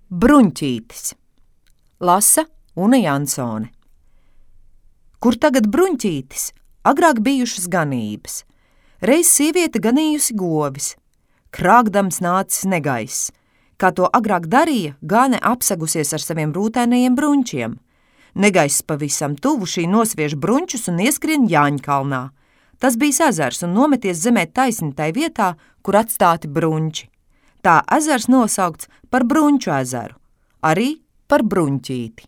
Bruņķītis. Lasa Una Jansone. Kur tagad bruņķītis? Agrāk bijušas ganības. Reiz sieviete ganījusi govis. Krāgdams nācis negaiss. Kā to agrāk darīja, gāne apsegusies ar saviem rūtēnajiem bruņķiem. Negaiss pavisam tuvu šī nosviež bruņķus un ieskrien Jāņkalnā. Tas bija ezers un nometies zemē taisni tai vietā, kur atstāti bruņķi. Tā ezers nosaukts par Bruņķu ezeru, arī par Bruņķīti.